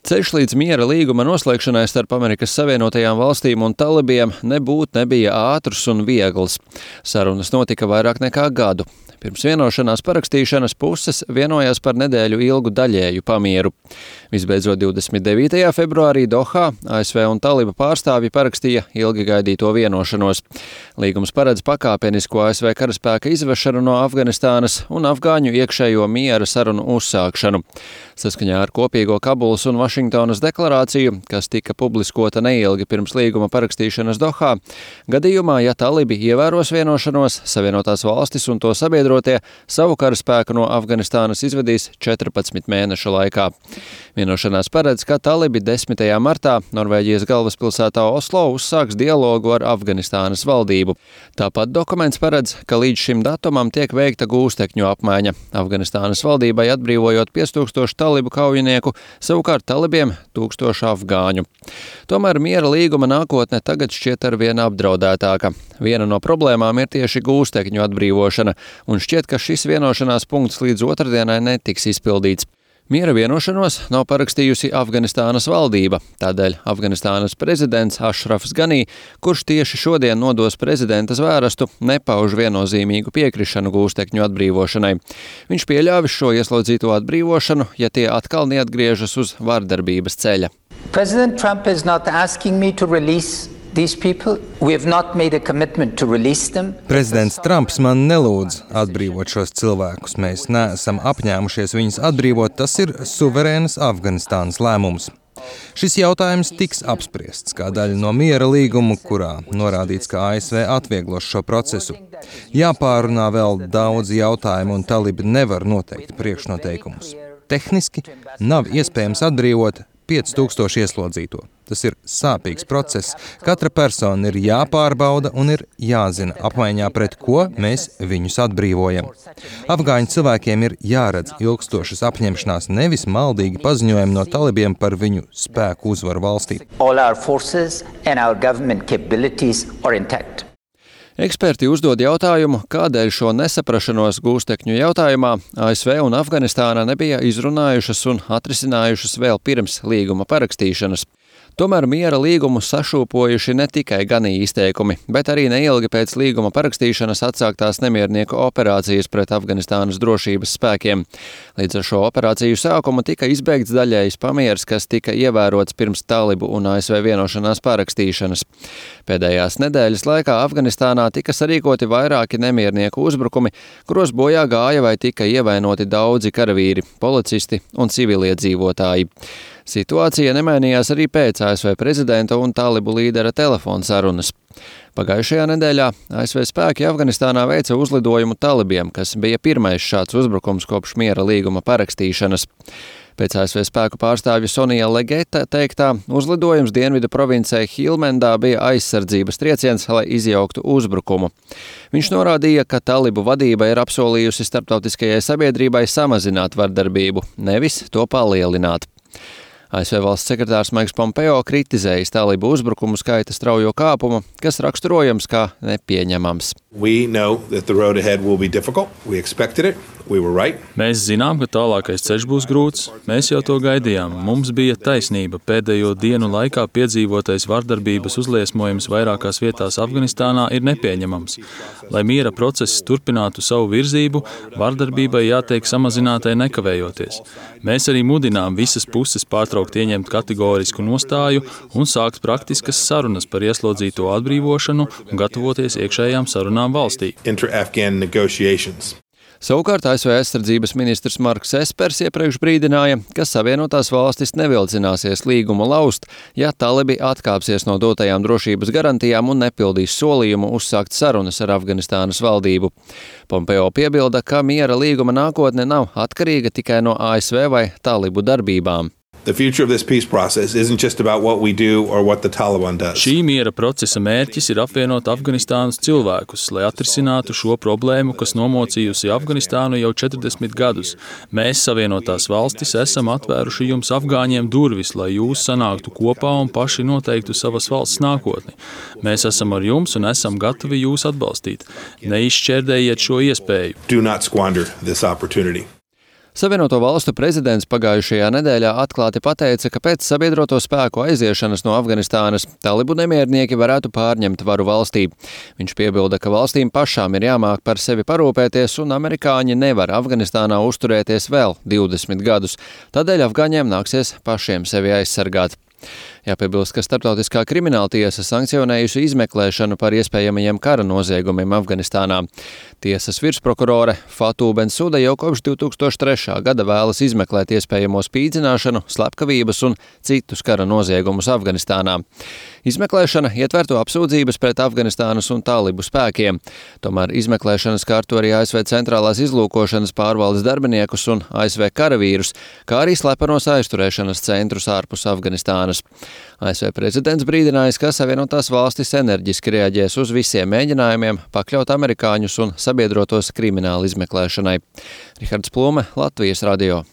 Ceļš līdz miera līguma noslēgšanai starp Amerikas Savienotajām valstīm un talibiem nebija ātrs un viegls. Sarunas notika vairāk nekā gadu. Pirms vienošanās parakstīšanas puses vienojās par nedēļu ilgu daļēju pamieru. Visbeidzot 29. februārī Dohā ASV un taliba pārstāvji parakstīja ilgi gaidīto vienošanos. Līgums paredz pakāpenisku ASV karaspēka izvešanu no Afganistānas un afgāņu iekšējo miera sarunu uzsākšanu. Saskaņā ar kopīgo Kabulas un Vašingtonas deklarāciju, kas tika publiskota neilgi pirms līguma parakstīšanas Dohā, gadījumā, ja talibi ievēros vienošanos, Savienotās valstis un to sabiedrotie savu karaspēku no Afganistānas izvedīs 14 mēnešu laikā. Vienošanās paredz, ka talibi 10. martā Norvēģijas galvaspilsētā Oslo uzsāks dialogu ar Afganistānas valdību. Tāpat dokuments paredz, ka līdz šim datumam tiek veikta gūstekņu apmaiņa. Afganistānas valdībai atbrīvojot 5000 talibu kaujinieku, savukārt talibiem 1000 afgāņu. Tomēr miera līguma nākotne tagad šķiet arvien apdraudētāka. Viena no problēmām ir tieši gūstekņu atbrīvošana, un šķiet, ka šis vienošanās punkts līdz otrdienai netiks izpildīts. Miera vienošanos nav parakstījusi Afganistānas valdība, tādēļ Afganistānas prezidents Ašrafs Ganī, kurš tieši šodien nodos prezidenta zvērestu, nepauž viennozīmīgu piekrišanu gūstekņu atbrīvošanai. Viņš pieļāvis šo ieslodzīto atbrīvošanu, ja tie atkal neatgriežas uz vardarbības ceļa. President Trump is not asking me to release these people. We have not made a commitment to release them. Prezidents Trumps man nelūdz atbrīvot šos cilvēkus. Mēs neesam apņēmušies viņus atbrīvot. Tas ir suverēnas Afganistānas lēmums. Šis jautājums tiks apspriests kā daļa no miera līguma, kurā norādīts, ka ASV atvieglos šo procesu. Jāpārunā vēl daudz jautājumu un talibi nevar noteikt priekšnoteikumus. Tehniski nav iespējams atbrīvot 5000 ieslodzīto. Tas ir sāpīgs process. Katra persona ir jāpārbauda un ir jāzina, apmaiņā pret ko mēs viņus atbrīvojam. Afgāņu cilvēkiem ir jāredz ilgstošas apņemšanās, nevis maldīgi paziņojumi no talibiem par viņu spēku uzvaru valstī. All our forces and our government capabilities are intact. Eksperti uzdod jautājumu, kādēļ šo nesaprašanos gūstekņu jautājumā ASV un Afganistāna nebija izrunājušas un atrisinājušas vēl pirms līguma parakstīšanas. Tomēr miera līgumu sašūpojuši ne tikai Ganī izteikumi, bet arī neilgi pēc līguma parakstīšanas atsāktās nemiernieku operācijas pret Afganistānas drošības spēkiem. Līdz ar šo operāciju sākumu tika izbeigts daļējs pamieris, kas tika ievērots pirms talibu un ASV vienošanās parakstīšanas. Pēdējās nedēļas laikā Afganistānā tika sarīkoti vairāki nemiernieku uzbrukumi, kuros bojā gāja vai tika ievainoti daudzi karavīri, policisti un civiliedzīvotāji. Situācija nemainījās arī pēc ASV prezidenta un talibu līdera telefona sarunas. Pagājušajā nedēļā ASV spēki Afganistānā veica uzlidojumu talibiem, kas bija pirmais šāds uzbrukums kopš miera līguma parakstīšanas. Pēc ASV spēku pārstāvja Sonija Legeta teiktā, uzlidojums dienvidu provincē Hilmendā bija aizsardzības trieciens, lai izjauktu uzbrukumu. Viņš norādīja, ka talibu vadība ir apsolījusi starptautiskajai sabiedrībai samazināt vardarbību, nevis to palielināt. ASV valsts sekretārs Maiks Pompeo kritizējis talibu uzbrukumu skaita straujo kāpumu, kas raksturojams kā nepieņemams. Mēs zinām, ka tālākais ceļš būs grūts. Mēs jau to gaidījām. Mums bija taisnība. Pēdējo dienu laikā piedzīvotais vardarbības uzliesmojums vairākās vietās Afganistānā ir nepieņemams. Lai miera process turpinātu savu virzību, vardarbībai jātiek samazinātai nekavējoties. Mēs arī mudinām visas puses pārtraukt ieņemt kategorisku nostāju un sākt praktiskas sarunas par ieslodzīto atbrīvošanu un gatavoties iekšējām sarunām valstī. Savukārt ASV aizsardzības ministrs Marks Espers iepriekš brīdināja, ka Savienotās valstis nevilcināsies līgumu laust, ja talibi atkāpsies no dotajām drošības garantijām un nepildīs solījumu uzsākt sarunas ar Afganistānas valdību. Pompeo piebilda, ka miera līguma nākotne nav atkarīga tikai no ASV vai talibu darbībām. Šī miera procesa mērķis ir apvienot Afganistānas cilvēkus, lai atrisinātu šo problēmu, kas nomocījusi Afganistānu jau 40 gadus. Mēs, Savienotās valstis, esam atvēruši jums afgāņiem durvis, lai jūs sanāktu kopā un paši noteiktu savas valsts nākotni. Mēs esam ar jums un esam gatavi jūs atbalstīt. Neizšķērdējiet šo iespēju. Savienoto valstu prezidents pagājušajā nedēļā atklāti pateica, ka pēc sabiedroto spēku aiziešanas no Afganistānas talibu nemiernieki varētu pārņemt varu valstī. Viņš piebilda, ka valstīm pašām ir jāmāk par sevi parūpēties un amerikāņi nevar Afganistānā uzturēties vēl 20 gadus. Tādēļ afgāņiem nāksies pašiem sevi aizsargāt. Jāpiebilst, ka Starptautiskā krimināltiesa sankcionējusi izmeklēšanu par iespējamajiem kara noziegumiem Afganistānā. Tiesas virsprokurore Fatu Bensuda jau kopš 2003. gada vēlas izmeklēt iespējamo spīdzināšanu, slepkavības un citus kara noziegumus Afganistānā. Izmeklēšana ietvertu apsūdzības pret Afganistānas un talibu spēkiem. Tomēr izmeklēšana skārtu arī ASV centrālās izlūkošanas pārvaldes darbiniekus un ASV karavīrus, kā arī slepenos aizturēšanas centrus ārpus Afganistānas. ASV prezidents brīdinājis, ka Savienotās valstis enerģiski reaģēs uz visiem mēģinājumiem pakļaut amerikāņus un sabiedrotos krimināla izmeklēšanai. Rihards Plume, Latvijas radio.